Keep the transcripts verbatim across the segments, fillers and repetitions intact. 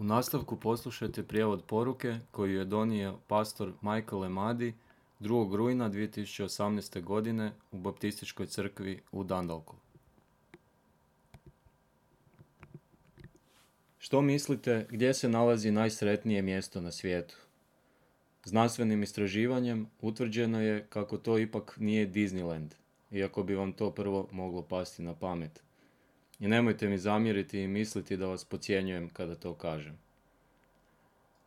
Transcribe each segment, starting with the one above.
U nastavku poslušajte prijevod poruke koju je donio pastor Michael Emadi drugog rujna dvije tisuće osamnaeste. godine u Baptističkoj crkvi u Dundalku. Što mislite gdje se nalazi najsretnije mjesto na svijetu? Znanstvenim istraživanjem utvrđeno je kako to ipak nije Disneyland, iako bi vam to prvo moglo pasti na pamet. I nemojte mi zamjeriti i misliti da vas podcjenjujem kada to kažem.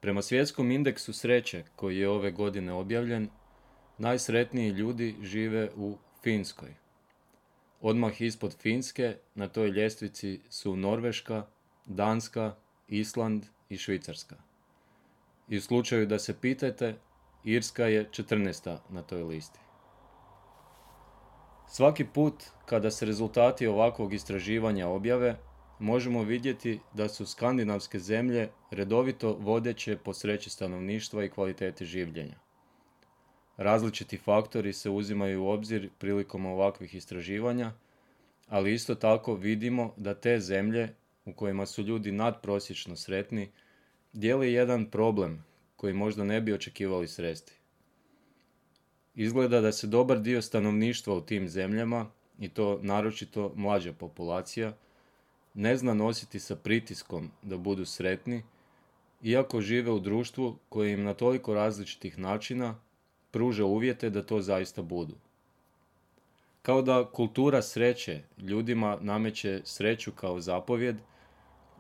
Prema svjetskom indeksu sreće koji je ove godine objavljen, najsretniji ljudi žive u Finskoj. Odmah ispod Finske na toj ljestvici su Norveška, Danska, Island i Švicarska. I u slučaju da se pitate, Irska je četrnaesta na toj listi. Svaki put kada se rezultati ovakvog istraživanja objave, možemo vidjeti da su skandinavske zemlje redovito vodeće po sreći stanovništva i kvaliteti življenja. Različiti faktori se uzimaju u obzir prilikom ovakvih istraživanja, ali isto tako vidimo da te zemlje u kojima su ljudi nadprosječno sretni dijeli jedan problem koji možda ne bi očekivali sresti. Izgleda da se dobar dio stanovništva u tim zemljama, i to naročito mlađa populacija, ne zna nositi sa pritiskom da budu sretni, iako žive u društvu koje im na toliko različitih načina pruža uvjete da to zaista budu. Kao da kultura sreće ljudima nameće sreću kao zapovjed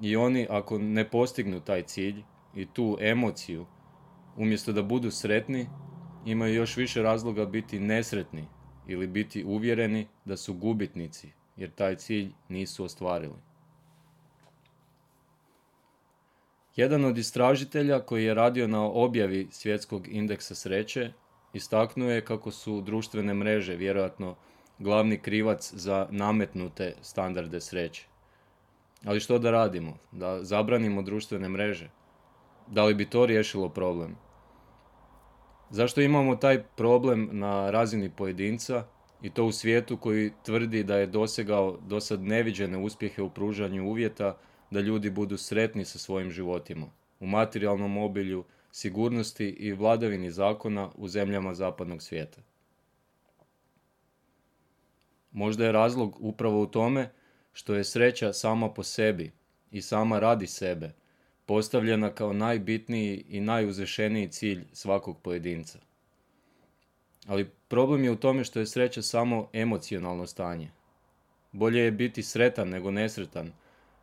i oni ako ne postignu taj cilj i tu emociju, umjesto da budu sretni, imaju još više razloga biti nesretni ili biti uvjereni da su gubitnici jer taj cilj nisu ostvarili. Jedan od istražitelja koji je radio na objavi svjetskog indeksa sreće istaknuo je kako su društvene mreže vjerojatno glavni krivac za nametnute standarde sreće. Ali što da radimo? Da zabranimo društvene mreže? Da li bi to riješilo problem? Zašto imamo taj problem na razini pojedinca i to u svijetu koji tvrdi da je dosegao dosad neviđene uspjehe u pružanju uvjeta da ljudi budu sretni sa svojim životima, u materijalnom obilju, sigurnosti i vladavini zakona u zemljama zapadnog svijeta? Možda je razlog upravo u tome što je sreća sama po sebi i sama radi sebe postavljena kao najbitniji i najuzvišeniji cilj svakog pojedinca. Ali problem je u tome što je sreća samo emocionalno stanje. Bolje je biti sretan nego nesretan,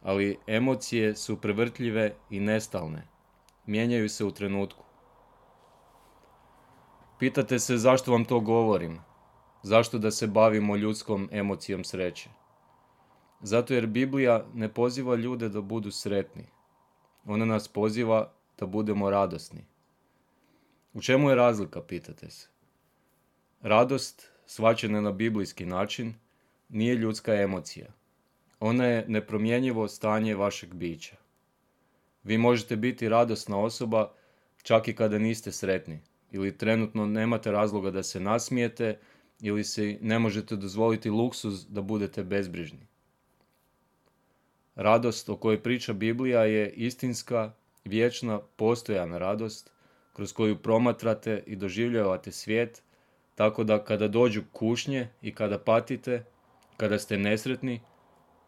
ali emocije su prevrtljive i nestalne. Mijenjaju se u trenutku. Pitate se zašto vam to govorim? Zašto da se bavimo ljudskom emocijom sreće? Zato jer Biblija ne poziva ljude da budu sretni. Ona nas poziva da budemo radosni. U čemu je razlika, pitate se? Radost, shvaćena na biblijski način, nije ljudska emocija. Ona je nepromjenjivo stanje vašeg bića. Vi možete biti radosna osoba čak i kada niste sretni, ili trenutno nemate razloga da se nasmijete, ili si ne možete dozvoliti luksuz da budete bezbrižni. Radost o kojoj priča Biblija je istinska, vječna, postojana radost kroz koju promatrate i doživljavate svijet, tako da kada dođu kušnje i kada patite, kada ste nesretni,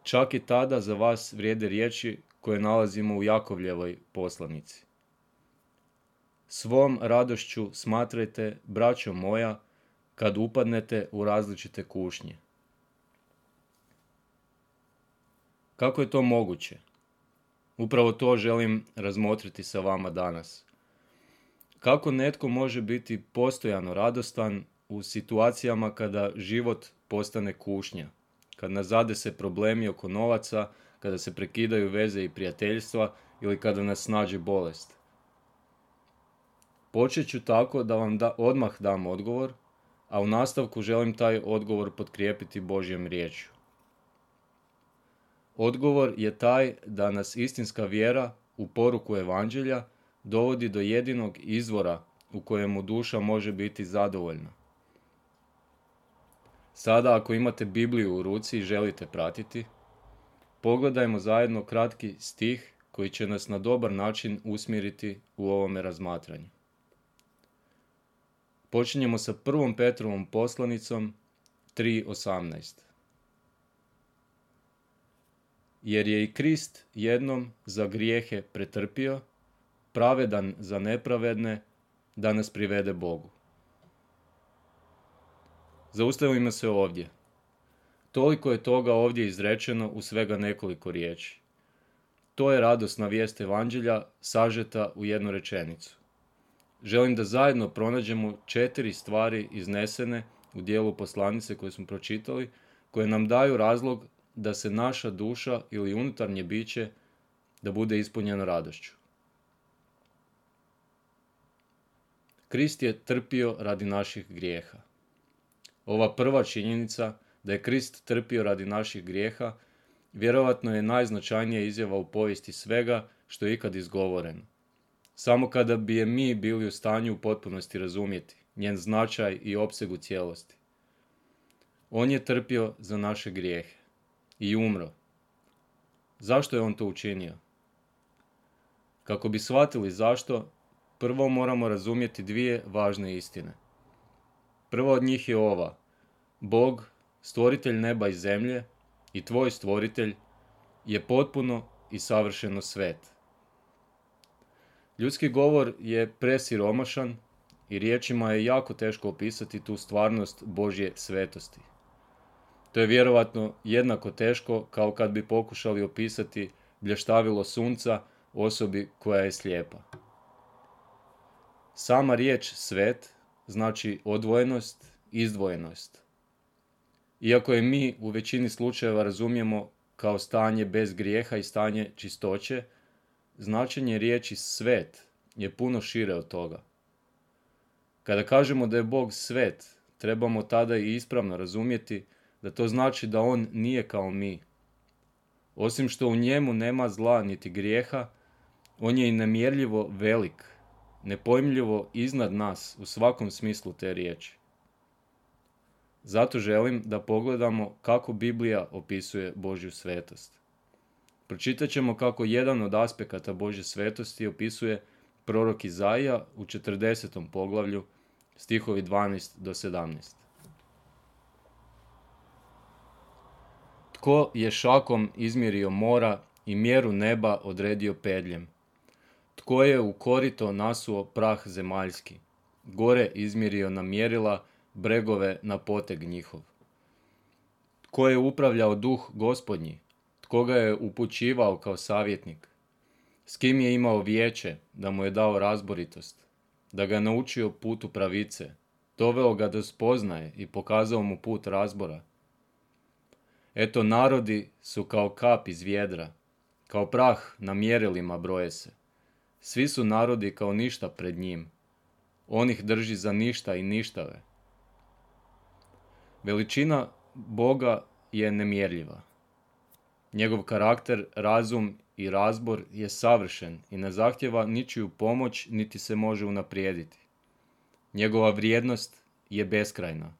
čak i tada za vas vrijede riječi koje nalazimo u Jakovljevoj poslanici. Svom radošću smatrajte, braćo moja, kad upadnete u različite kušnje. Kako je to moguće? Upravo to želim razmotriti sa vama danas. Kako netko može biti postojano radostan u situacijama kada život postane kušnja, kad nas zadese problemi oko novaca, kada se prekidaju veze i prijateljstva ili kada nas snađe bolest? Počet ću tako da vam da, odmah dam odgovor, a u nastavku želim taj odgovor potkrijepiti Božjom riječju. Odgovor je taj da nas istinska vjera u poruku evanđelja dovodi do jedinog izvora u kojemu duša može biti zadovoljna. Sada ako imate Bibliju u ruci i želite pratiti, pogledajmo zajedno kratki stih koji će nas na dobar način usmjeriti u ovome razmatranju. Počinjemo sa prvom Petrovom poslanicom tri osamnaest. Jer je i Krist jednom za grijehe pretrpio, pravedan za nepravedne, da nas privede Bogu. Zaustavimo se ovdje. Toliko je toga ovdje izrečeno u svega nekoliko riječi. To je radosna vijest Evanđelja sažeta u jednu rečenicu. Želim da zajedno pronađemo četiri stvari iznesene u dijelu poslanice koje smo pročitali, koje nam daju razlog da se naša duša ili unutarnje biće da bude ispunjeno radošću. Krist je trpio radi naših grijeha. Ova prva činjenica da je Krist trpio radi naših grijeha vjerojatno je najznačajnija izjava u povijesti svega što je ikad izgovoreno. Samo kada bi je mi bili u stanju u potpunosti razumjeti njen značaj i opseg u cijelosti. On je trpio za naše grijehe i umro. Zašto je on to učinio? Kako bi shvatili zašto, prvo moramo razumjeti dvije važne istine. Prva od njih je ova. Bog, stvoritelj neba i zemlje, i tvoj stvoritelj, je potpuno i savršeno svet. Ljudski govor je presiromašan i riječima je jako teško opisati tu stvarnost Božje svetosti. To je vjerovatno jednako teško kao kad bi pokušali opisati blještavilo sunca osobi koja je slijepa. Sama riječ svet znači odvojenost, izdvojenost. Iako je mi u većini slučajeva razumijemo kao stanje bez grijeha i stanje čistoće, značenje riječi svet je puno šire od toga. Kada kažemo da je Bog svet, trebamo tada i ispravno razumjeti da to znači da on nije kao mi. Osim što u njemu nema zla niti grijeha, on je i nemjerljivo velik, nepojmljivo iznad nas u svakom smislu te riječi. Zato želim da pogledamo kako Biblija opisuje Božju svetost. Pročitat ćemo kako jedan od aspekata Božje svetosti opisuje prorok Izaija u četrdesetom poglavlju, stihovi dvanaest do sedamnaest. Tko je šakom izmjerio mora i mjeru neba odredio pedljem? Tko je u korito nasuo prah zemaljski, gore izmjerio na mjerila, bregove na poteg njihov? Tko je upravljao duh Gospodnji? Tko ga je upućivao kao savjetnik? S kim je imao vijeće da mu je dao razboritost, da ga je naučio putu pravice, doveo ga do spoznaje i pokazao mu put razbora? Eto, narodi su kao kap iz vjedra, kao prah na mjerilima broje se. Svi su narodi kao ništa pred njim. On ih drži za ništa i ništave. Veličina Boga je nemjerljiva. Njegov karakter, razum i razbor je savršen i ne zahtjeva ničiju pomoć niti se može unaprijediti. Njegova vrijednost je beskrajna.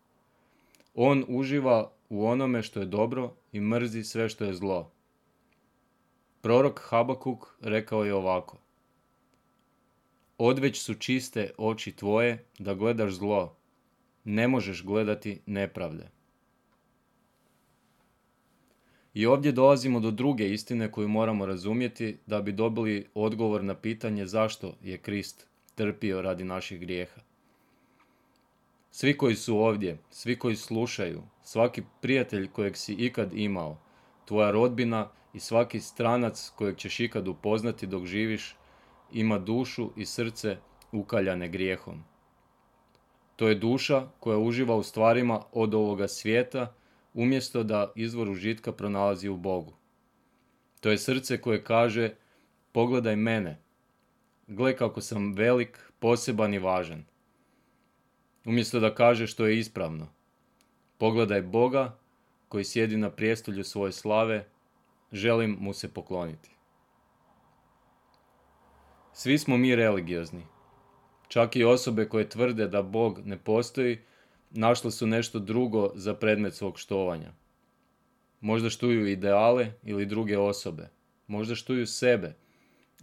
On uživa u onome što je dobro i mrzi sve što je zlo. Prorok Habakuk rekao je ovako: Odveć su čiste oči tvoje da gledaš zlo, ne možeš gledati nepravde. I ovdje dolazimo do druge istine koju moramo razumjeti da bi dobili odgovor na pitanje zašto je Krist trpio radi naših grijeha. Svi koji su ovdje, svi koji slušaju, svaki prijatelj kojeg si ikad imao, tvoja rodbina i svaki stranac kojeg ćeš ikad upoznati dok živiš, ima dušu i srce ukaljane grijehom. To je duša koja uživa u stvarima od ovoga svijeta, umjesto da izvor užitka pronalazi u Bogu. To je srce koje kaže: pogledaj mene, gle kako sam velik, poseban i važan. Umjesto da kaže što je ispravno: pogledaj Boga koji sjedi na prijestolju svoje slave, želim mu se pokloniti. Svi smo mi religiozni. Čak i osobe koje tvrde da Bog ne postoji, našle su nešto drugo za predmet svog štovanja. Možda štuju ideale ili druge osobe. Možda štuju sebe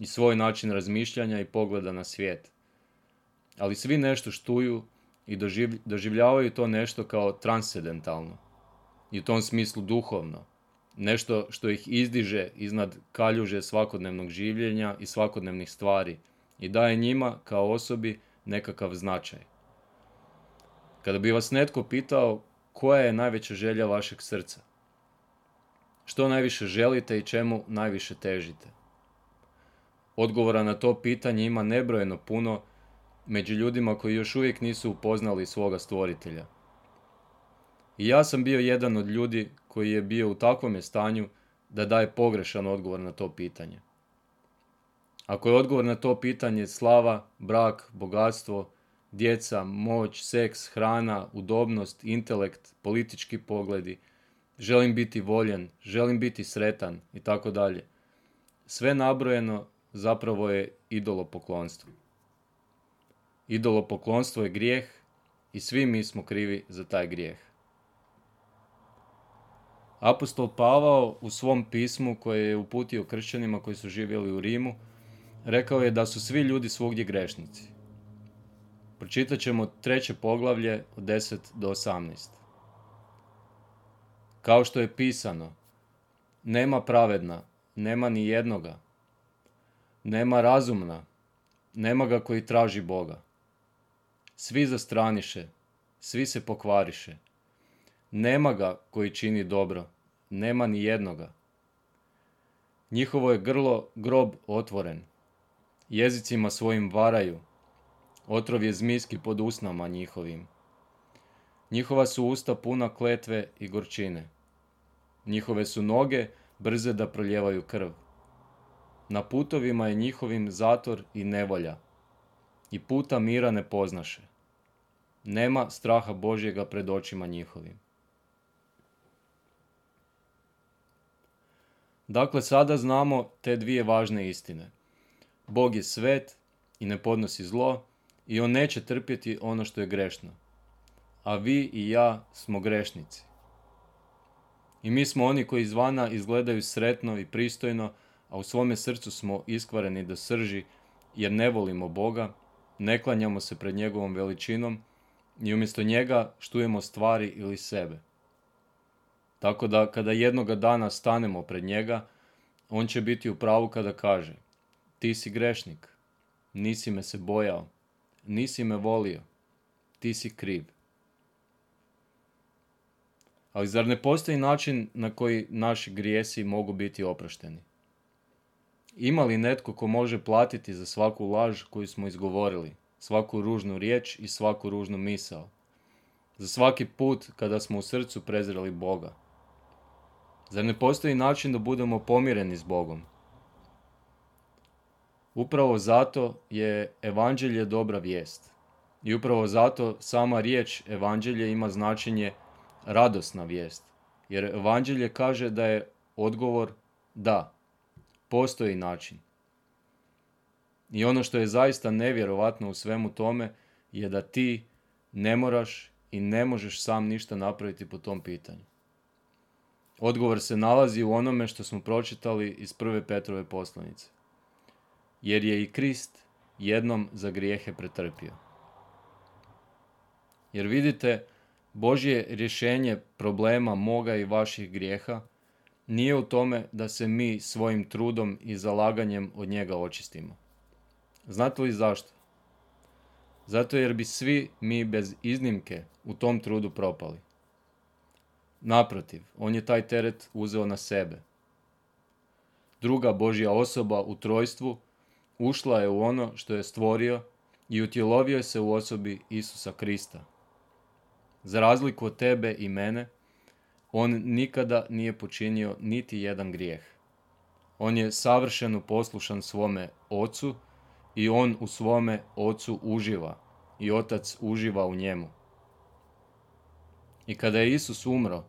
i svoj način razmišljanja i pogleda na svijet. Ali svi nešto štuju i doživ, doživljavaju to nešto kao transcendentalno i u tom smislu duhovno. Nešto što ih izdiže iznad kaljuže svakodnevnog življenja i svakodnevnih stvari i daje njima kao osobi nekakav značaj. Kada bi vas netko pitao koja je najveća želja vašeg srca, što najviše želite i čemu najviše težite, odgovora na to pitanje ima nebrojeno puno među ljudima koji još uvijek nisu upoznali svoga stvoritelja. I ja sam bio jedan od ljudi koji je bio u takvom stanju da daje pogrešan odgovor na to pitanje. Ako je odgovor na to pitanje slava, brak, bogatstvo, djeca, moć, seks, hrana, udobnost, intelekt, politički pogledi, želim biti voljen, želim biti sretan i tako dalje, sve nabrojeno zapravo je idolopoklonstvo. Idolopoklonstvo je grijeh i svi mi smo krivi za taj grijeh. Apostol Pavao u svom pismu koje je uputio kršćanima koji su živjeli u Rimu, rekao je da su svi ljudi svugdje grešnici. Pročitat ćemo treće poglavlje od deset do osamnaest. Kao što je pisano, nema pravedna, nema ni jednoga, nema razumna, nema ga koji traži Boga. Svi zastraniše, svi se pokvariše. Nema ga koji čini dobro, nema ni jednoga. Njihovo je grlo grob otvoren, jezicima svojim varaju, otrov je zmijski pod usnama njihovim. Njihova su usta puna kletve i gorčine. Njihove su noge brze da proljevaju krv. Na putovima je njihovim zator i nevolja, i puta mira ne poznaše. Nema straha Božjega pred očima njihovim. Dakle, sada znamo te dvije važne istine. Bog je svet i ne podnosi zlo i on neće trpjeti ono što je grešno. A vi i ja smo grešnici. I mi smo oni koji izvana izgledaju sretno i pristojno, a u svome srcu smo iskvareni do srži jer ne volimo Boga, ne klanjamo se pred njegovom veličinom i umjesto njega štujemo stvari ili sebe. Tako da kada jednoga dana stanemo pred njega, on će biti u pravu kada kaže: ti si grešnik, nisi me se bojao, nisi me volio, ti si kriv. Ali zar ne postoji način na koji naši grijesi mogu biti oprošteni? Ima li netko ko može platiti za svaku laž koju smo izgovorili, svaku ružnu riječ i svaku ružnu misao? Za svaki put kada smo u srcu prezreli Boga? Zar ne postoji način da budemo pomireni s Bogom? Upravo zato je evanđelje dobra vijest. I upravo zato sama riječ evanđelje ima značenje radosna vijest. Jer evanđelje kaže da je odgovor da, postoji način. I ono što je zaista nevjerovatno u svemu tome je da ti ne moraš i ne možeš sam ništa napraviti po tom pitanju. Odgovor se nalazi u onome što smo pročitali iz prve Petrove poslanice. Jer je i Krist jednom za grijehe pretrpio. Jer vidite, Božje rješenje problema moga i vaših grijeha nije u tome da se mi svojim trudom i zalaganjem od njega očistimo. Znate li zašto? Zato jer bi svi mi bez iznimke u tom trudu propali. Naprotiv, on je taj teret uzeo na sebe. Druga Božja osoba u trojstvu ušla je u ono što je stvorio i utjelovio se u osobi Isusa Krista. Za razliku od tebe i mene, on nikada nije počinio niti jedan grijeh. On je savršeno poslušan svome Ocu i on u svome Ocu uživa i Otac uživa u njemu. I kada je Isus umro,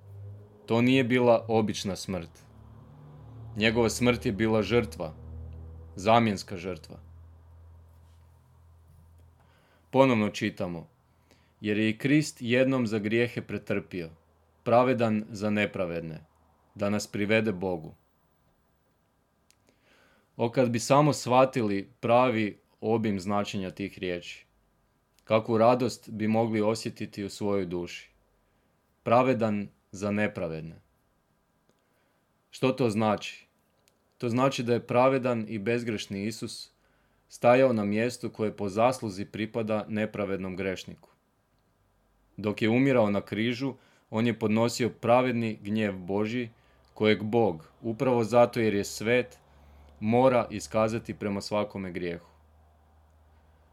to nije bila obična smrt. Njegova smrt je bila žrtva, zamjenska žrtva. Ponovno čitamo: jer je i Krist jednom za grijehe pretrpio, pravedan za nepravedne, da nas privede Bogu. O kad bi samo shvatili pravi obim značenja tih riječi. Kakvu radost bi mogli osjetiti u svojoj duši. Pravedan za nepravedne. Što to znači? To znači da je pravedan i bezgrešni Isus stajao na mjestu koje po zasluzi pripada nepravednom grešniku. Dok je umirao na križu, on je podnosio pravedni gnjev Božji, kojeg Bog, upravo zato jer je svet, mora iskazati prema svakome grijehu.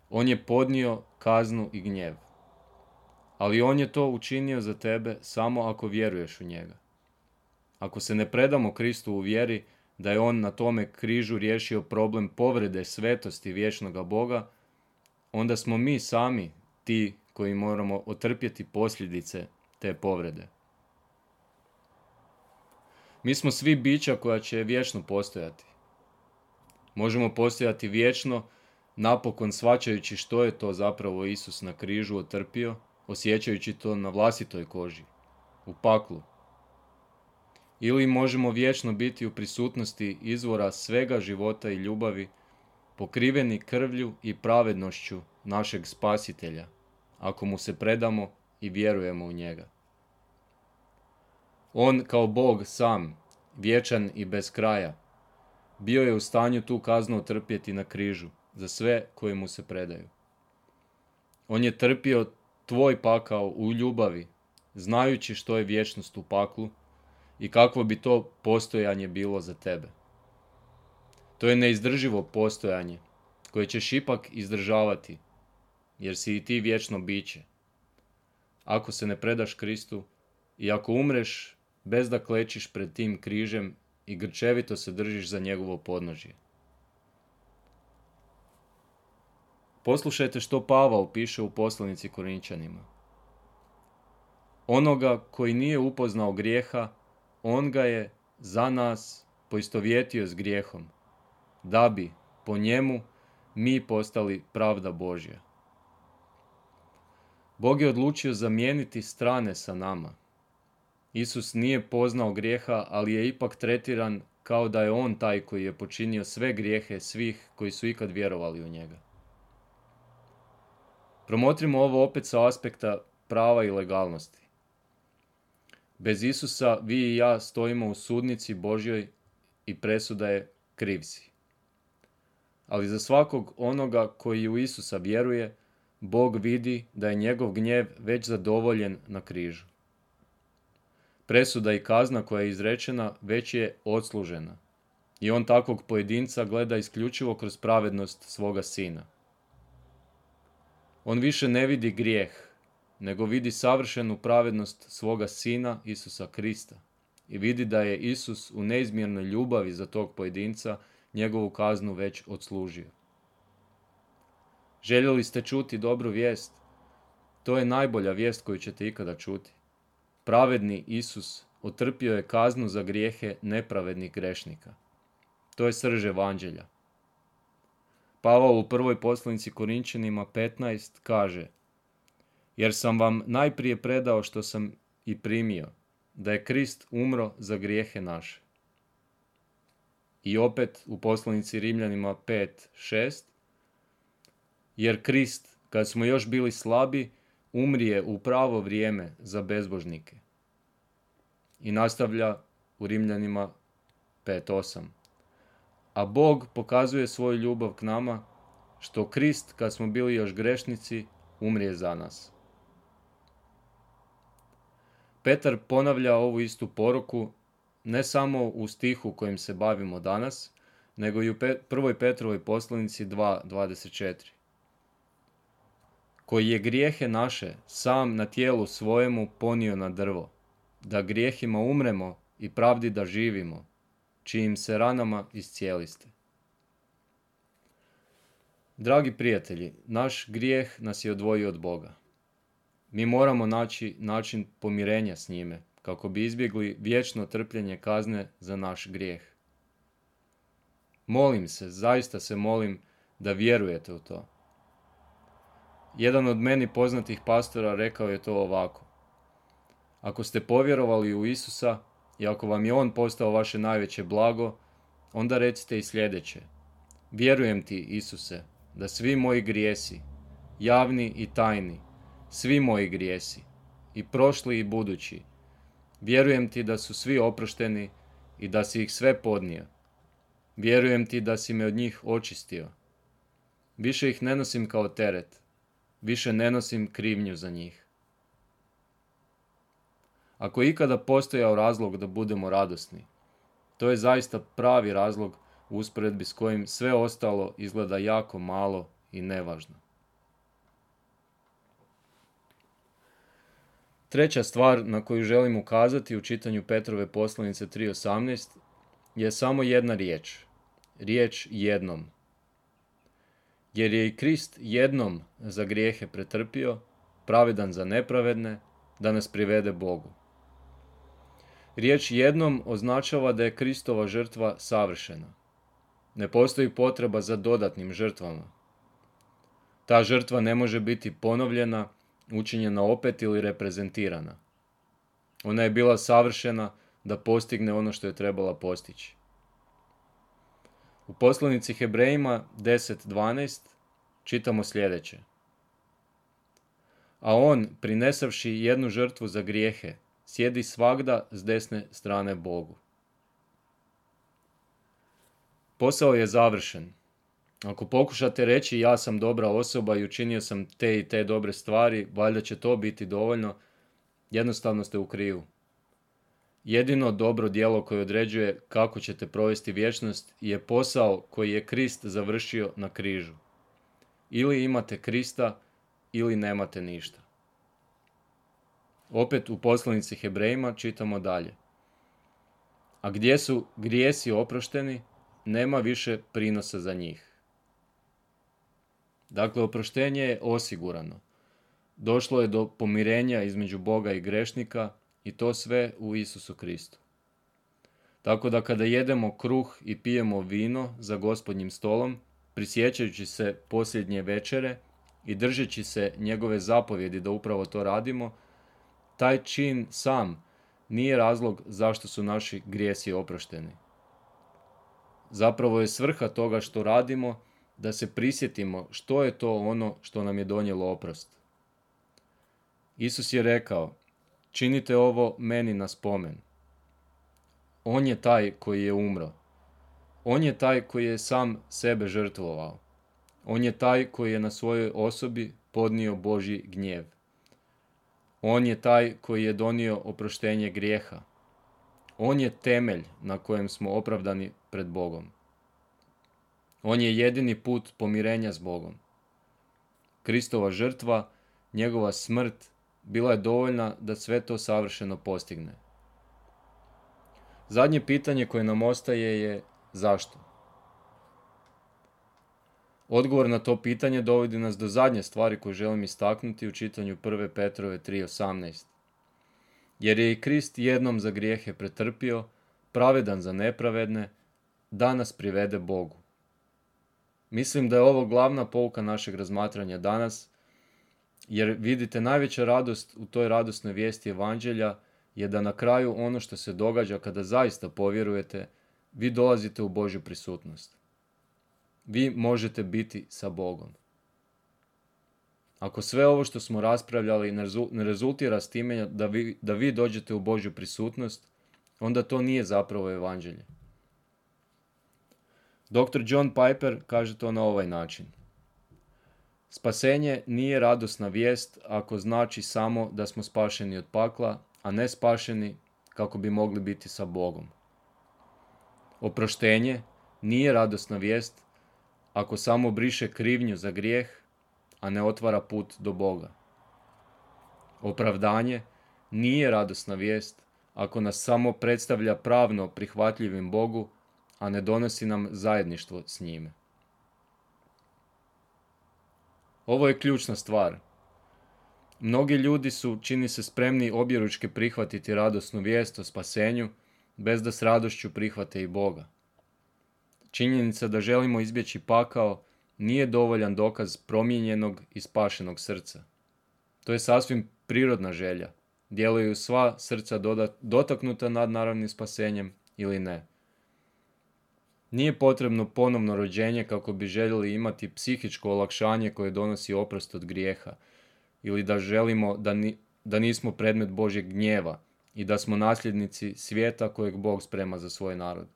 On je podnio kaznu i gnjev. Ali on je to učinio za tebe samo ako vjeruješ u njega. Ako se ne predamo Kristu u vjeri da je on na tome križu riješio problem povrede svetosti vječnoga Boga, onda smo mi sami ti koji moramo otrpjeti posljedice te povrede. Mi smo svi bića koja će vječno postojati. Možemo postojati vječno, napokon shvaćajući što je to zapravo Isus na križu otrpio, osjećajući to na vlastitoj koži, u paklu. Ili možemo vječno biti u prisutnosti izvora svega života i ljubavi, pokriveni krvlju i pravednošću našeg Spasitelja, ako mu se predamo i vjerujemo u njega. On kao Bog sam, vječan i bez kraja, bio je u stanju tu kaznu otrpjeti na križu za sve koji mu se predaju. On je trpio tvoj pakao u ljubavi, znajući što je vječnost u paklu i kakvo bi to postojanje bilo za tebe. To je neizdrživo postojanje koje ćeš ipak izdržavati, jer si i ti vječno biće. Ako se ne predaš Kristu i ako umreš bez da klečiš pred tim križem i grčevito se držiš za njegovo podnožje. Poslušajte što Pavao piše u poslanici Korinčanima. Onoga koji nije upoznao grijeha, on ga je za nas poistovjetio s grijehom, da bi po njemu mi postali pravda Božja. Bog je odlučio zamijeniti strane sa nama. Isus nije poznao grijeha, ali je ipak tretiran kao da je on taj koji je počinio sve grijehe svih koji su ikad vjerovali u njega. Promotrimo ovo opet sa aspekta prava i legalnosti. Bez Isusa vi i ja stojimo u sudnici Božjoj i presuda je kriv si. Ali za svakog onoga koji u Isusa vjeruje, Bog vidi da je njegov gnjev već zadovoljen na križu. Presuda i kazna koja je izrečena već je odslužena i on takvog pojedinca gleda isključivo kroz pravednost svoga sina. On više ne vidi grijeh, nego vidi savršenu pravednost svoga sina Isusa Krista i vidi da je Isus u neizmjernoj ljubavi za tog pojedinca njegovu kaznu već odslužio. Željeli ste čuti dobru vijest? To je najbolja vijest koju ćete ikada čuti. Pravedni Isus otrpio je kaznu za grijehe nepravednih grešnika. To je srž evanđelja. Pavao u prvoj poslanici Korinčanima petnaest kaže: jer sam vam najprije predao što sam i primio, da je Krist umro za grijehe naše. I opet u poslanici Rimljanima pet šest, jer Krist, kad smo još bili slabi, umrije u pravo vrijeme za bezbožnike. I nastavlja u Rimljanima pet osam. A Bog pokazuje svoju ljubav k nama, što Krist, kad smo bili još grešnici, umrije za nas. Petar ponavlja ovu istu poruku ne samo u stihu kojim se bavimo danas, nego i u prvoj Petrovoj poslanici dva dvadeset četiri. Koji je grijehe naše sam na tijelu svojemu ponio na drvo, da grijehima umremo i pravdi da živimo, čijim se ranama iscijeliste. Dragi prijatelji, naš grijeh nas je odvojio od Boga. Mi moramo naći način pomirenja s njime, kako bi izbjegli vječno trpljenje kazne za naš grijeh. Molim se, zaista se molim da vjerujete u to. Jedan od meni poznatih pastora rekao je to ovako: ako ste povjerovali u Isusa i ako vam je on postao vaše najveće blago, onda recite i sljedeće. Vjerujem ti, Isuse, da svi moji grijesi, javni i tajni, svi moji grijesi, i prošli i budući, vjerujem ti da su svi oprošteni i da si ih sve podnio. Vjerujem ti da si me od njih očistio. Više ih ne nosim kao teret, više ne nosim krivnju za njih. Ako je ikada postojao razlog da budemo radosni, to je zaista pravi razlog u usporedbi s kojim sve ostalo izgleda jako malo i nevažno. Treća stvar na koju želim ukazati u čitanju Petrove poslanice tri osamnaest je samo jedna riječ. Riječ jednom. Jer je i Krist jednom za grijehe pretrpio, pravedan za nepravedne, da nas privede Bogu. Riječ jednom označava da je Kristova žrtva savršena. Ne postoji potreba za dodatnim žrtvama. Ta žrtva ne može biti ponovljena, učinjena opet ili reprezentirana. Ona je bila savršena da postigne ono što je trebala postići. U poslanici Hebrejima deset dvanaest čitamo sljedeće. A on, prinesavši jednu žrtvu za grijehe, sjedi svagda s desne strane Bogu. Posao je završen. Ako pokušate reći ja sam dobra osoba i učinio sam te i te dobre stvari, valjda će to biti dovoljno, jednostavno ste u krivu. Jedino dobro djelo koje određuje kako ćete provesti vječnost je posao koji je Krist završio na križu. Ili imate Krista, ili nemate ništa. Opet u poslanici Hebrejima čitamo dalje. A gdje su grijesi oprošteni, nema više prinosa za njih. Dakle, oproštenje je osigurano. Došlo je do pomirenja između Boga i grešnika i to sve u Isusu Kristu. Tako da kada jedemo kruh i pijemo vino za Gospodnjim stolom, prisjećajući se posljednje večere i držeći se njegove zapovjedi da upravo to radimo, taj čin sam nije razlog zašto su naši grijesi oprošteni. Zapravo je svrha toga što radimo da se prisjetimo što je to ono što nam je donijelo oprost. Isus je rekao, činite ovo meni na spomen. On je taj koji je umro. On je taj koji je sam sebe žrtvovao. On je taj koji je na svojoj osobi podnio Božji gnjev. On je taj koji je donio oproštenje grijeha. On je temelj na kojem smo opravdani pred Bogom. On je jedini put pomirenja s Bogom. Kristova žrtva, njegova smrt, bila je dovoljna da sve to savršeno postigne. Zadnje pitanje koje nam ostaje je zašto? Odgovor na to pitanje dovodi nas do zadnje stvari koju želim istaknuti u čitanju prve Petrove tri osamnaest. Jer je i Krist jednom za grijehe pretrpio, pravedan za nepravedne, da nas privede Bogu. Mislim da je ovo glavna pouka našeg razmatranja danas, jer vidite, najveća radost u toj radosnoj vijesti evanđelja je da na kraju ono što se događa kada zaista povjerujete, vi dolazite u Božju prisutnost. Vi možete biti sa Bogom. Ako sve ovo što smo raspravljali ne rezultira s time da vi, da vi dođete u Božju prisutnost, onda to nije zapravo evanđelje. doktor John Piper kaže to na ovaj način. Spasenje nije radosna vijest ako znači samo da smo spašeni od pakla, a ne spašeni kako bi mogli biti sa Bogom. Oproštenje nije radosna vijest ako samo briše krivnju za grijeh, a ne otvara put do Boga. Opravdanje nije radosna vijest ako nas samo predstavlja pravno prihvatljivim Bogu, a ne donosi nam zajedništvo s njime. Ovo je ključna stvar. Mnogi ljudi su, čini se, spremni objeručke prihvatiti radosnu vijest o spasenju, bez da s radošću prihvate i Boga. Činjenica da želimo izbjeći pakao nije dovoljan dokaz promijenjenog i spašenog srca. To je sasvim prirodna želja. Djeluju sva srca dotaknuta nadnaravnim spasenjem ili ne. Nije potrebno ponovno rođenje kako bi željeli imati psihičko olakšanje koje donosi oprost od grijeha, ili da želimo da, ni, da nismo predmet Božjeg gnjeva i da smo nasljednici svijeta kojeg Bog sprema za svoj narod.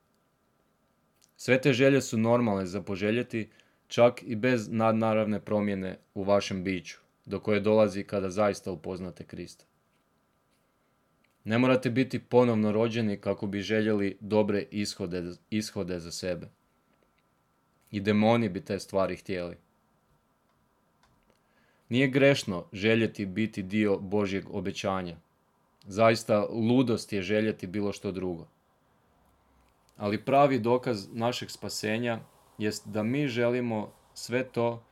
Sve te želje su normalne za poželjeti, čak i bez nadnaravne promjene u vašem biću, do koje dolazi kada zaista upoznate Krista. Ne morate biti ponovno rođeni kako bi željeli dobre ishode, ishode za sebe. I demoni bi te stvari htjeli. Nije grešno željeti biti dio Božjeg obećanja. Zaista ludost je željeti bilo što drugo. Ali pravi dokaz našeg spasenja jest da mi želimo sve to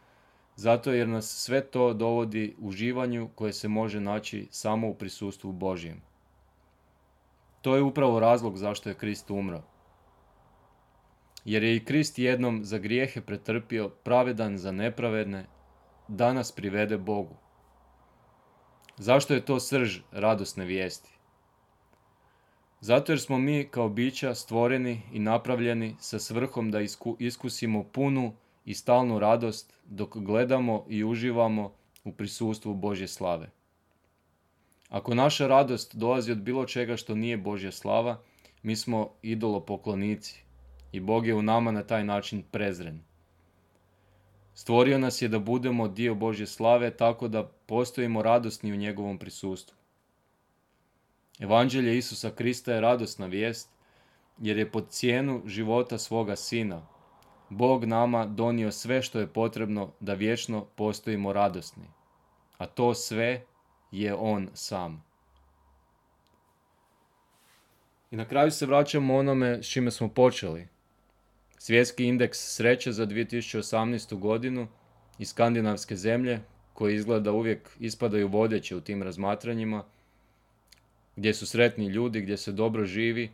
zato jer nas sve to dovodi uživanju koje se može naći samo u prisustvu Božjem. To je upravo razlog zašto je Krist umro. Jer je i Krist jednom za grijehe pretrpio, pravedan za nepravedne, da nas privede Bogu. Zašto je to srž radosne vijesti? Zato jer smo mi kao bića stvoreni i napravljeni sa svrhom da isku, iskusimo punu i stalnu radost dok gledamo i uživamo u prisustvu Božje slave. Ako naša radost dolazi od bilo čega što nije Božja slava, mi smo idolopoklonici i Bog je u nama na taj način prezren. Stvorio nas je da budemo dio Božje slave tako da postojimo radosni u njegovom prisustvu. Evanđelje Isusa Krista je radosna vijest jer je pod cijenu života svoga Sina Bog nama donio sve što je potrebno da vječno postojimo radosni, a to sve je On sam. I na kraju se vraćamo onome s čime smo počeli. Svjetski indeks sreće za dvije tisuće osamnaestu godinu i skandinavske zemlje, koje izgleda uvijek ispadaju vodeće u tim razmatranjima, gdje su sretni ljudi, gdje se dobro živi,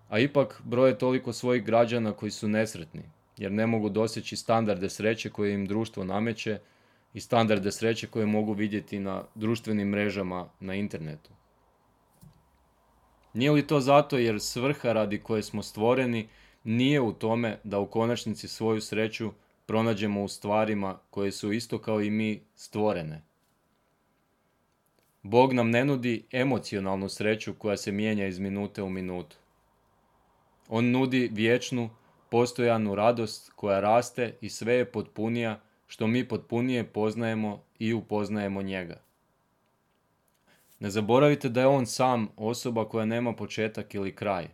a ipak broje toliko svojih građana koji su nesretni, jer ne mogu doseći standarde sreće koje im društvo nameće i standarde sreće koje mogu vidjeti na društvenim mrežama na internetu. Nije li to zato jer svrha radi koje smo stvoreni nije u tome da u konačnici svoju sreću pronađemo u stvarima koje su isto kao i mi stvorene? Bog nam ne nudi emocionalnu sreću koja se mijenja iz minute u minutu. On nudi vječnu, postojanu radost koja raste i sve je potpunija što mi potpunije poznajemo i upoznajemo njega. Ne zaboravite da je on sam osoba koja nema početak ili kraj.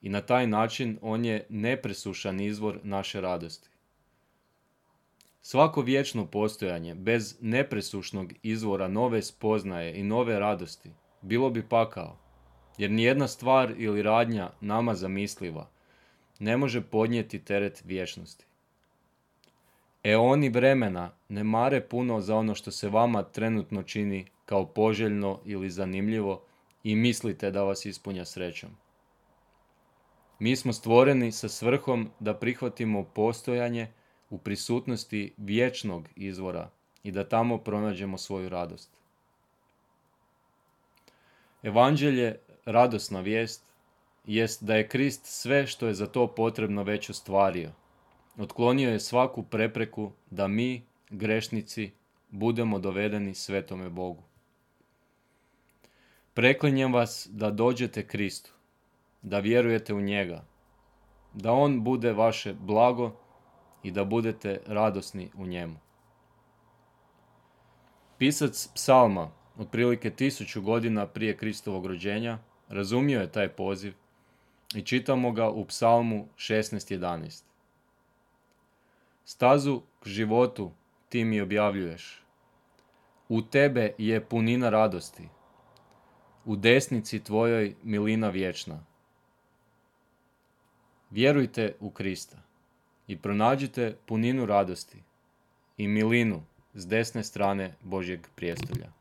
I na taj način on je nepresušan izvor naše radosti. Svako vječno postojanje bez nepresušnog izvora nove spoznaje i nove radosti bilo bi pakao, jer nijedna stvar ili radnja nama zamisliva ne može podnijeti teret vječnosti. Eoni vremena ne mare puno za ono što se vama trenutno čini kao poželjno ili zanimljivo i mislite da vas ispunja srećom. Mi smo stvoreni sa svrhom da prihvatimo postojanje u prisutnosti vječnog izvora i da tamo pronađemo svoju radost. Evanđelje, radosna vijest, jest da je Krist sve što je za to potrebno već ostvario. Otklonio je svaku prepreku da mi, grešnici, budemo dovedeni svetome Bogu. Preklinjem vas da dođete Kristu, da vjerujete u njega, da on bude vaše blago i da budete radosni u njemu. Pisac psalma, otprilike tisuću godina prije Kristovog rođenja, razumio je taj poziv i čitamo ga u psalmu šesnaest jedanaest. Stazu k životu ti mi objavljuješ. U tebe je punina radosti. U desnici tvojoj milina vječna. Vjerujte u Krista i pronađite puninu radosti i milinu s desne strane Božjeg prijestolja.